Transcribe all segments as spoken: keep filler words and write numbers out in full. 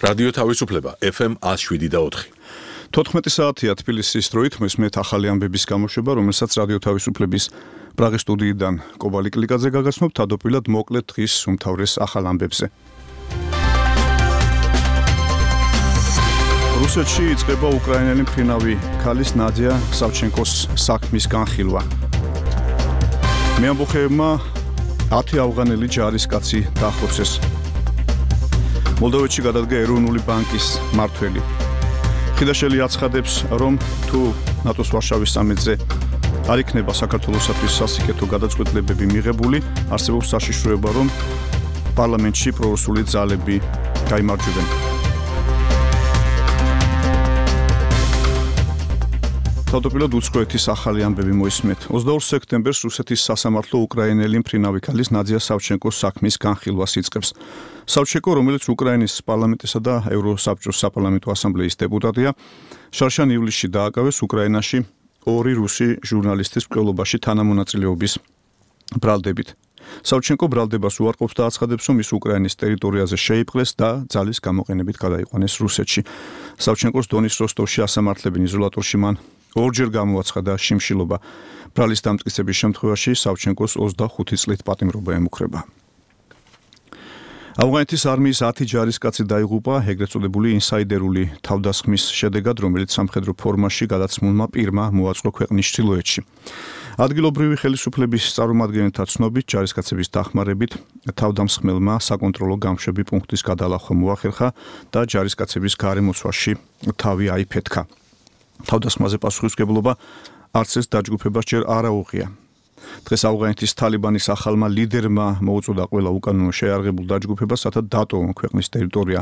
რადიო თავისუფლება ეფ ემ ათს შვიდი და ოთხი. თოთხმეტი საათია თბილისის დროით მესმეთ ახალი ამბების გამოშვება, რომელსაც რადიო თავისუფლების პრაღის სტუდიიდან კობალი კლიკაძე გაგაცნობთ თავდაპირველად მოკლედ დღის უმთავრეს ახალ ამბებზე. რუსეთში იწყება უკრაინელი მფრინავი ქალის ნადია სავჩენკოს საქმის განხილვა. მეამბოხეებმა ათი ავღანელი ჯარისკაცი დაახოცეს. მოლდოვეთში გადადგა ეროვნული ბანკის მმართველი. ხიდაშელი აცხადებს, რომ თუ ნატოს ვარშავის სამიტზე არ იქნება საქართველოსთვის სასიკეთო გადაწყვეტილებები მიღებული, არსებობს საშიშროება, რომ პარლამენტში პრორუსული ძალები გაიმარჯვებენ. თავდაპირველად უცხოეთის ახალი ამბები მოისმენთ. ოცდაორ სექტემბერს რუსეთის სასამართლო უკრაინელი მფრინავი ქალის ნადია სავჩენკოს საქმის განხილვას იწყებს. სავჩენკო, რომელიც უკრაინის პარლამენტისა და ევროსაბჭოს საპარლამენტო ასამბლეის დეპუტატია, შარშან ივლისში დააკავეს უკრაინაში ორი რუსი ჟურნალისტის მკვლელობაში თანამონაწილეობის ბრალდებით. სავჩენკო ბრალდებას უარყოფს და აცხადებს, რომ ის უკრაინის ტერიტორიაზე შეიპყრეს და ძალის გამოყენებით გადაიყვანეს რუსეთში. სავჩენკოს დონის როსტოვში ასამართლებენ იზოლატორში მან ორჯერ გამოაცხადა შიმშილობა. ბრალის დამტკიცების შემთხვევაში სავჩენკოს ოცდახუთი წლით პატიმრობა ემუქრება. ავღანეთის არმიის ათი ჯარისკაცი დაიღუპა ეგრეთ წოდებული ინსაიდერული თავდასხმის შედეგად, რომელიც სამხედრო ფორმაში გადაცმულმა პირმა მოაწყო ქვეყნის ჩრდილოეთში. ადგილობრივი ხელისუფლების წარმომადგენელთა ცნობით, ჯარისკაცების დახმარებით თავდამსხმელმა საკონტროლო გამშვები პუნქტის გადალახვა მოახერხა და ჯარისკაცების გარემოცვაში თავი აიფეთქა. თავდასხმაზე პასუხისმგებლობა არც ეს დაჯგუფებას ჯერ არ აუღია. დღეს ავღანეთის თალიბანის ახალმა ლიდერმა მოუწოდა ყველა უკანონო შეიარაღებულ დაჯგუფებას, რათა დატოვონ ქვეყნის ტერიტორია.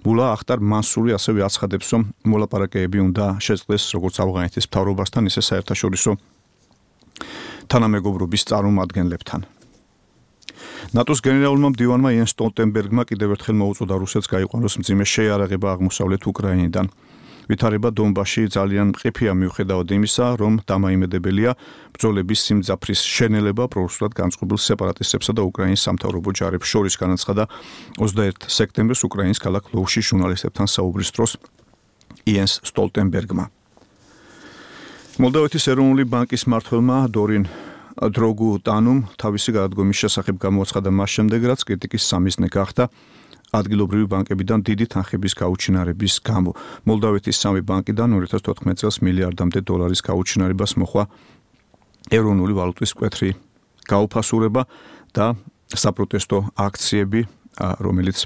მულა ახტარ მანსური ასევე აცხადებს, რომ მოლაპარაკებები უნდა შეწყდეს როგორც ავღანეთის მთავრობასთან, ისე საერთაშორისო თანამეგობრობის წარმომადგენლებთან. ნატოს გენერალურმა მდივანმა იენს სტოლტენბერგმა კიდევ ერთხელ მოუწოდა რუსეთს გაიყვანოს მძიმე შეიარაღება აღმოსავლეთ უკრაინიდან. ვითარება დონბასში ძალიან მყიფეა მიუხედავად იმისა, რომ დამაიმედებელია ბრძოლების სიმძაფრის შენელება პრორუსულად განწყობილ სეპარატისტებსა და უკრაინის სამთავრობო ჯარებს შორის, განაცხადა ოცდაერთი სექტემბერს უკრაინის ქალაქ ლვოვში ჟურნალისტებთან საუბრის დროს იენს სტოლტენბერგმა. მოლდოვეთის ეროვნული ბანკის მმართველმა დორინ დროგუტანუმ თავისი გადადგომის შესახებ გამოაცხადა მას შემდეგ, რაც კრიტიკის სამიზნე გახდა ადგილობრივი ბანკებიდან დიდი თანხების გაუჩინარების გამო. მოლდოვეთის სამი ბანკიდან ორი ათას თოთხმეტ წელს მილიარდამდე დოლარის გაუჩინარებას მოხვა ეროვნული ვალუტის მკვეთრი გაუფასურება და საპროტესტო აქციები, რომელიც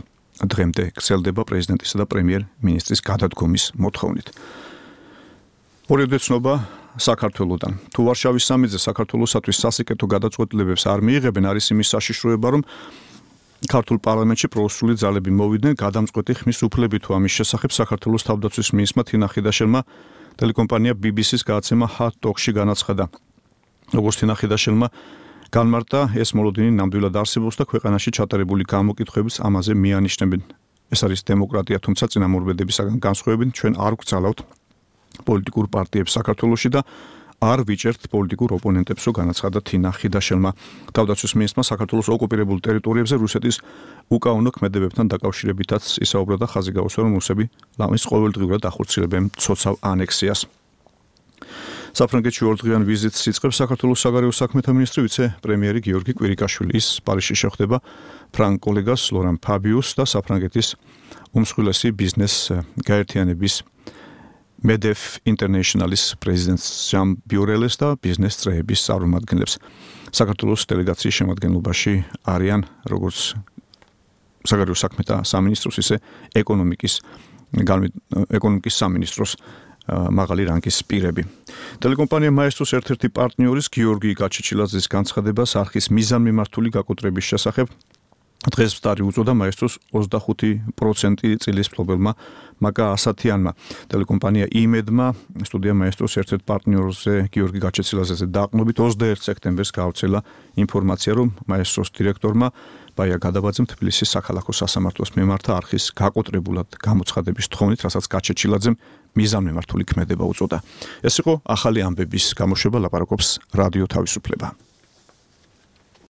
დღემდე გრძელდება პრეზიდენტისა და პრემიერ-მინისტრის გადადგომის მოთხოვნით. ორევდე ცნობა საქართველოდან. თუ ვარშავის სამიტზე საქართველოსათვის სასიკეთო გადაწყვეტილებებს არ მიიღებენ, არის იმის საშიშროება, რომ ქართულ პარლამენტში პრორუსული ძალები მოვიდნენ გადამწყვეტი ხმის უფლებით. თუ ამის შესახებ საქართველოს თავდაცვის მინისტრმა თინა ხიდაშელმა ტელეკომპანია ბი ბი სის გადაცემა Hot Talk-ში განაცხადა. როგორც თინა ხიდაშელმა განმარტა, ეს მოლოდინი ნამდვილად არსებობს და ქვეყანაში ჩატარებული გამოკითხვებიც ამაზე მიანიშნებენ. ეს არის დემოკრატია, თუმცა წინამორბედებისაგან განსხვავებით ჩვენ არ გვცალავთ პოლიტიკურ პარტიებს საქართველოში და არ ვიჭერთ პოლიტიკურ ოპონენტებსო, განაცხადა თინა ხიდაშელმა. თავდაცვის მინისტრმა საქართველოს ოკუპირებულ ტერიტორიებზე რუსეთის უკანონო ქმედებებთან დაკავშირებითაც ისაუბრა და ხაზი გაუსვა, რომ რუსები ლამის ყოველდღიურად ახორციელებენ მცოცავ ანექსიას. საფრანგეთში ორდღიან ვიზიტს იწყებს საქართველოს საგარეო საქმეთა მინისტრი ვიცე-პრემიერი გიორგი კვირიკაშვილი. ის პარიზში შეხვდება ფრანგ კოლეგას ლორან ფაბიუსს და საფრანგეთის უმსხვილესი ბიზნეს გაერთიანების მედეფ ინტერნეშნალის პრეზიდენტს ჟან ბიურელეს და ბიზნეს წრეების წარმომადგენლებს. საქართველოს დელეგაციის შემადგენლობაში არიან როგორც საგარეო საქმეთა სამინისტროს, ისე ეკონომიკის ეკონომიკის სამინისტროს მაღალი რანგის პირები. ტელეკომპანია მაესტროს ერთ-ერთი პარტნიორის გიორგი გაჩეჩილაძის განცხადებას არხის მიზანმიმართული გაკოტრების შესახებ დღეს ვსტარი უწოდა მაესტროს ოცდახუთი პროცენტი წილის მფლობელმა მაგა ასათიანმა. ტელეკომპანია იმედმა სტუდია მაესტროს ერთ-ერთ პარტნიორზე გიორგი გაჩეჩილაძეზე დაყრდნობით ოცდაერთი სექტემბერს გაავრცელა ინფორმაცია, რომ მაესტროს დირექტორმა ბაია გადაბაძემ თბილისის საქალაქო სასამართლოს მიმართა არხის გაკოტრებულად გამოცხადების თხოვნით, რასაც გაჩეჩილაძემ მიზანმიმართული ქმედება უწოდა. ეს იყო ახალი ამბების გამოშვება, ლაპარაკობს რადიო თავისუფლება.